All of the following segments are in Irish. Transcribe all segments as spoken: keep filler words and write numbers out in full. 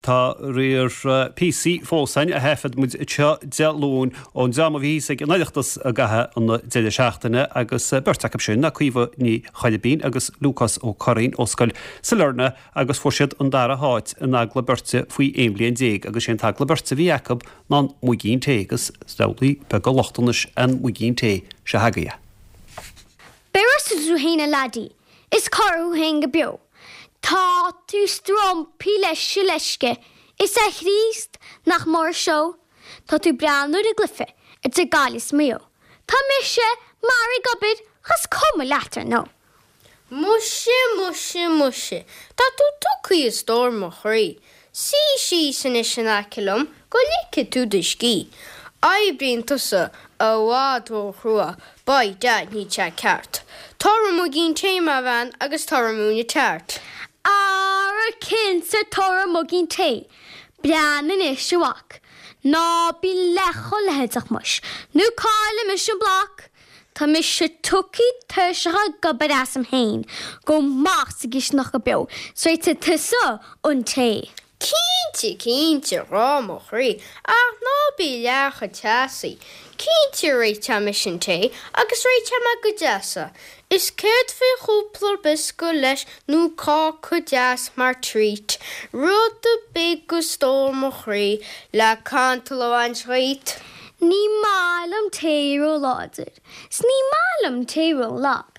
Tá riar píosaí fós againn a thaifead muid anseo Dé Luain ón dream a bhí thíos ag an Oireachtas i gcaitheamh an deireadh seachtaine agus beirt acu sin ná Caoimhe Ní Choilbín agus Lúcás Ó Curraoin ó Scoil Sailearna agus fuair siad an dara háit in agallamh beirte faoi aon bhliain déag agus sé an t-agallamh beirte a bhí acu ná an muigín tae agus samhlaigh beag lochtanais an muigín tae seo agaibh. Beir tú féin a laddie, is cur thú féin go beo. Tá tú strompaí leis se leisce, is a Chríost nach mór seo, Tá tú breathnú ar an gcluiche idir Gaillimh is Maigh Eo. Tá mise mar ag obair chas cuma leat ar nó. Muise muise muise, Tá tú tugtha a stór mo chroí. Suigh síos anois in aice liom go ligfidh tú do scíth. Oibríonn tusa i bhfad ró-chrua, by dad níl sé ceart. Tabhair muigín tae mo bhean agus tabhair múine tart. Ara cinnte tabhair muigín tae, Breathnaigh anois a mhac, ná bí leath chomh leitheadach muis, nó caillfidh mise an bloc, Tá mise tugtha tuirseach ag obair asam féin, go maith sa gcisteanach go beo, 's réiteoidh tusa an tae. Cinnte cinnte rá mo chroí ach ná bí leath chomh teasaí. Cinnte réiteoidh mise an tae agus réiteoidh mé go deas é. Is céard faoi chúpla briosca leis nó cáca deas mar treat. Rud ar bith a stór mo chroí le cantal a bhaint dhíot. Ní maith liom tae ró-láidir, 's ní maith liom tae ró-lag.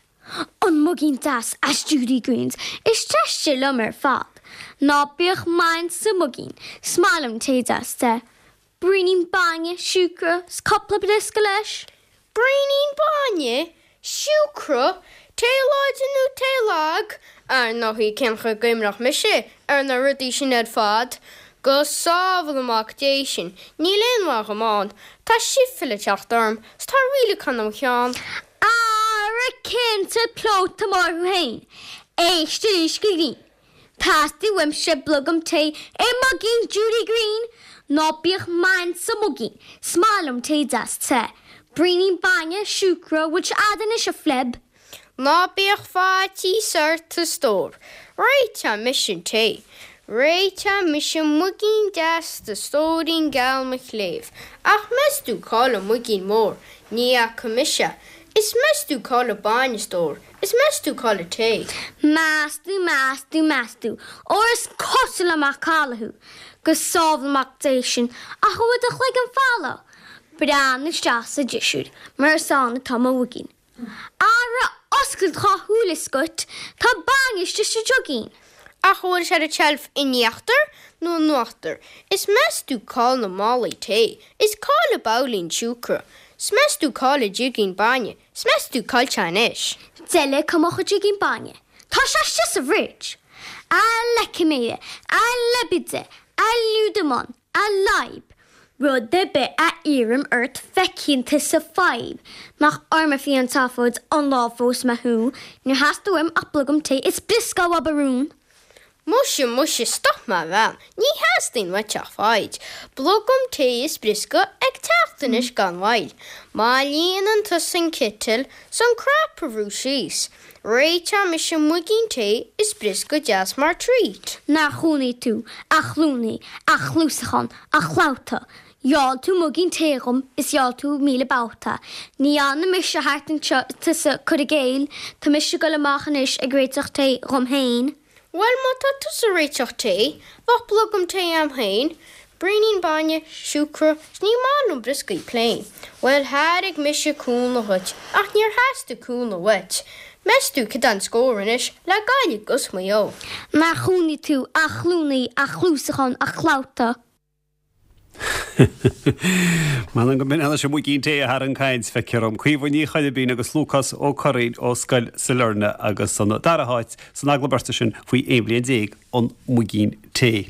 An muigín deas as Judy Greens is deise liom ar fad. Ná bíodh main sa muigín, 's maith liom tae deas te. Braoinín bainne, siúcra, 's cúpla briosca leis. Braoinín bainne, siúcra, tae láidir nó tae lag, ar ndóigh cén chaoi go gcuimhneodh mise ar na rudaí sin ar fad, Go sábhála amach Dé sin, níl aon mhaith dhom ann, Tá sifile teacht orm, 's tá rialachán am cheann. Ara cinnte plóta mór thú féin, Éist arís go grinn. Teastaíonn uaimse blogam tae i muigín Judy Green, ná bíodh main sa muigín, 's maith liom tae deas te. Braoinín bainne, siúcra, bhfuil sé a'd anois a phleb. Ná bíodh faitíos ort a stór, Réiteoidh mise an tae. Réiteoidh mise muigín deas do stóirín geal mo chléibh, ach meas tú cá bhfuil an muigín mór, ní fhaca mise. Is meas tú cá bhfuil an bainne stór, is meas tú cá bhfuil an tae. Meas tú, meas tú, meas tú, óir is cosúil le macalla thú, go sábhála amach Dé sin ach an bhfuil do chloigeann folamh. Breathnaigh isteach sa drisiúr, mar is ann atá mo mhuigín. Ara oscail do dhá shúil a scut, tá bainne istigh sa jugín. Ach bhfuil sé ar an tseilf in íochtar nó in uachtar, is meas tú cá bhfuil na málaí tae, is cá bhfuil an babhlaín siúcra, 's meas tú cá bhfuil an jigín bainne, 's meas tú cá bhfuil sé anois. Deile cá mbeadh an jigín bainne. Tá sé istigh sa fridge. A leiciméire, a leibide, a liúdamán, a leib. Rud ar bith a iarraim ort feicfidh tusa fadhb, nach orm a bhí an tseafóid an lá phós mé thú, níor theastaigh uaim ach blogam tae is briosca a barún. Muise muise stop mo bhean, ní theastaíonn uait ach foighid. Blogam tae is briosca ag teacht anois gan mhoill. Má líonann tusa an citeal 's an crap a bhrú síos. Réiteoidh mise muigín tae is briosca deas mar treat. Nár chúnaí tú, a chlúnaí, a chluasachán, a chlabhta. Gheall tú muigín tae dhom is gheall tú míle babhta. Ní fhanfaidh mise thart anseo tusa cur i gcéill, Tá mise ag dul amach anois ag réiteach tae dhom féin. Well má tá tusa ag réiteach tae, bheadh blogam tae a'm féin, braoinín bainne, siúcra, 's ní maith liom brioscaí plain. Well thairg mise cúnamh dhuit, ach níor theastaigh cúnamh uait. Meas tú cad é an scór anois le Gaillimh 'gus Maigh Eo. Nár chúnaí tú, a chlúnaí, a chluasachán, a chlabhta. Man go min se muigín tae thar an caint feictear dom Caoimhe Ní Choilbín agus Lúcás Ó Curraoin ó Scoil Sailearna agus an dara háit san agallamh beirte sin faoi aon bhliain déag an muigín tae.